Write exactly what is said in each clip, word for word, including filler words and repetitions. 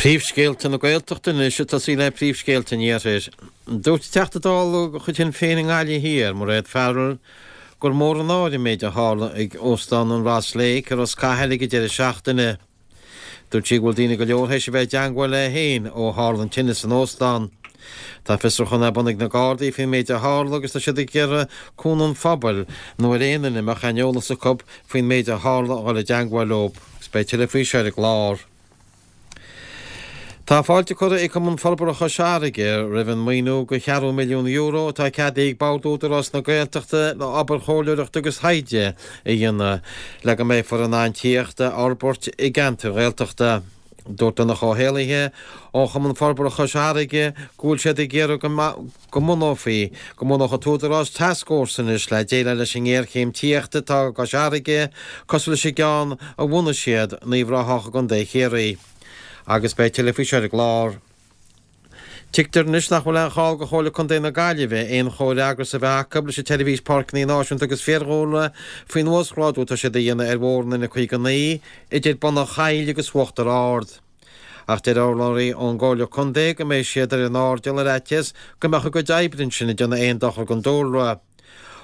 Príomhscéalta na Gaeltachta anois ag tosaí le príomhscéalta an Iarthair. Dúirt Teachta Dála de chuid Shinn Féin i nGaillimh Thiar, Mairéad Farrell, gur mór an náire an méid a tharla ag Óstán an Ross Lake i Ros Cathail ag an deireadh seachtaine. Dúirt sí go bhfuil daoine go leor théis a bheith i dteangmháil léi féin ó tharla an tine san óstán. Tá fiosrúchán ar bun ag na Gardaí faoin méid a tharla agus tá siad ag iarraidh cúnamh an phobail nó ar aon duine a mbeadh aon eolas acu faoin méid a tharla a dhul i dteangmháil leo. Agus beidh tuilleadh faoi seo ar an gclár. Tá fáilte curtha ag Cumann Forbartha Chois Fharraige roimh an maoiniú de cheathrú milliún euro atá ceadaithe ag Bord Údarás na Gaeltachta le obair chomhairleoireachta agus thaighde a dhéanamh le go mbeifear in ann tithíocht a fhorbairt i gceantair Ghaeltachta. Dúirt Donncha Ó hÉallaithe ó Chumann Forbartha Chois Fharraige go bhfuil siad ag iarraidh go mbunófaí go mbunódh an tÚdarás tascfhórsa anois le déileáil leis an ngéarchéim tithíochta atá i gCois Fharraige cosúil leis an gceann a bhunaigh siad in Uíbh Ráthach i gContae Chiarraí. Agus beidh tuilleadh faoi seo ar an gclár. Tuigtear anois nach bhfuil aon chall do Chomhairle Contae na Gaillimhe aon chomhfhreagras a bheith acu leis an tSeirbhís Páirceanna Náisiúnta agus Fiadhúlra faoin uasghrádú atá siad a dhéanamh ar Bhóthar an N caoga naoi idir Bun an Chaill agus Uachtar Ard. Ach deir urlabhraí ón gComhairle Contae go mbeidh siad ar an airdeall ar fhaitíos go mbeadh a gcuid oibre ansin ag déanamh aon dochar don dúlra.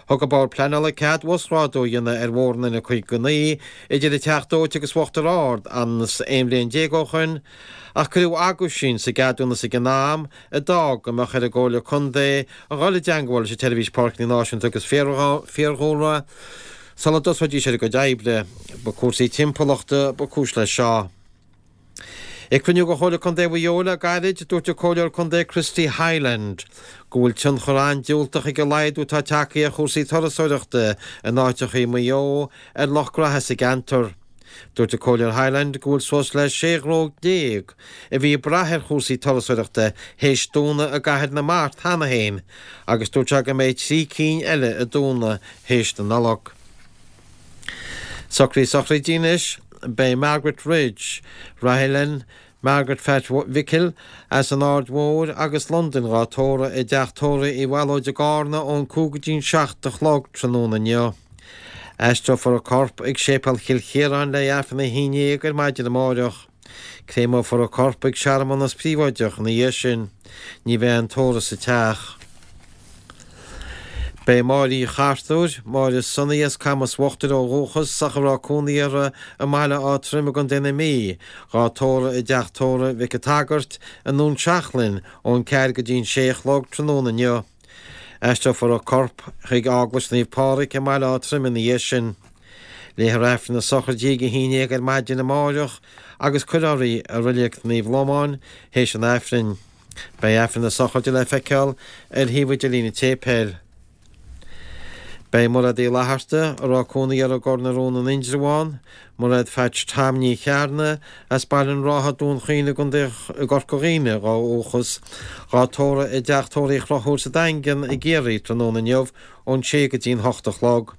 Thug an Bord Pleanála cead uasghrádú a dhéanamh ar Bhóthar an N caoga naoi idir an Teach Dóite agus Uachtar Ard thart aon bhliain déag ó shoin, ach cuireadh aguisín sa gceadúnas ag an am a d'fhág go mbeadh ar an gComhairle Contae a dhul i dteangmháil leis an tSeirbhís Páirceanna Náisiúnta agus Fiadhúlra sula dtosóidís ar a gcuid oibre. Ba cúrsaí timpeallachta ba chúis leis seo. Ag cruinniú de Chomhairle Contae Mhaigh Eo le gairid, dúirt an Comhairleoir Contae Christy Hyland go bhfuil tionchar an-diúltach ag an laghdú atá tagtha ar chúrsaí turasóireachta in áiteacha Mhaigh Eo ar lucht graithe sa gceantar. Dúirt an Comhairleoir Hyland go bhfuil suas le sé ghnó déag a bhí ag brath ar chúrsaí turasóireachta théis dúnadh i gCathair na Mart cheana féin agus dúirt sé go mbeidh trí cinn eile ag dúnadh théis na Nollag. Socruithe sochraide anois, beidh Margaret Ridge, Rahillane, Margaret Phat Mhicil as an Aird Mhóir agus Londain dhá tórramh i dteach tórraimh Uí Bhallóid i gCarna ón cúig go dtí'n seacht a chlog tráthnóna inniu. Aistreofar a corp ag Séipéal Chill Chiaráin le Aifreann a haon déag ar maidin amáireach. Créamófar a corp ag searmanas príobháideach ina dhiaidh sin. Ní bheidh aon tórramh sa teach. Beidh Máire Uí Chartúir, Máire Sonaí as Camas Uachtair ó dhúchas ach a raibh cónaí uirthi i mBaile Átha Troim i gContae na Mí, dhá tórramh i dteach tórraimh Mhic an tSagairt i nDún Seachlainn ón ceathair go dtí'n sé a chlog tráthnóna inniu. Aistreofar a corp chuig Eaglais Naomh Pádraig i mBaile Átha Troim ina dhiaidh sin. Léifear Aifreann na sochraide ag a haon déag ar maidin amáireach agus cuirfear í i Reilig Naomh Lomán théis an Aifrinn. Beidh Aifreann na sochraide le feiceáil ar shuíomh idirlín an tséipéil. Beidh Mairéad Uí Fhlatharta, a raibh cónaí uirthi i gCor na Rón in Indreabhán, Mairéad Phatch Tom Ní Chearna, as Baile an Rátha, Dún Chaoin i gContae Chorca Dhuibhne ó dhúchas, dhá tórramh i dteach tórraimh Uí Chonchúir sa Daingean i gCiarraí tráthnóna inniu ón sé go dtí'n hocht a chlog.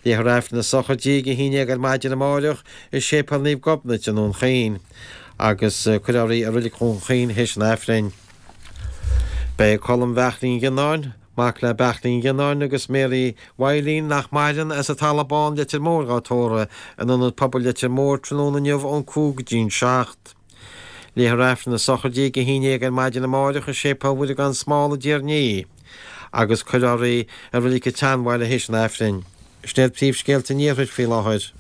Léifear Aifreann na sochraide ag a haon déag ar maidin amáireach i Séipéal Naomh Gobnait i nDún Chaoin agus cuirfear í i Reilig Dhún Chaoin théis an Aifrinn. Beidh Colm Bheachlín Ghionnáin, mac le Beachlín Ghionnáin agus Mary Mhaidhlín nach maireann, as an Talamh Bán, Leitir Móir dhá tórramh in Ionad Pobail Leitir Móir tráthnóna inniu ón cúig go dtí'n seacht. Léifear Aifreann na sochraide ag a haon déag ar maidin amáireach i Séipéal Mhuire gan Smál i dTír an Fhia agus cuirfear í i Reilig an tSeanbhaile théis an Aifrinn. Sin iad príomhscéalta an Iarthair faoi láthair.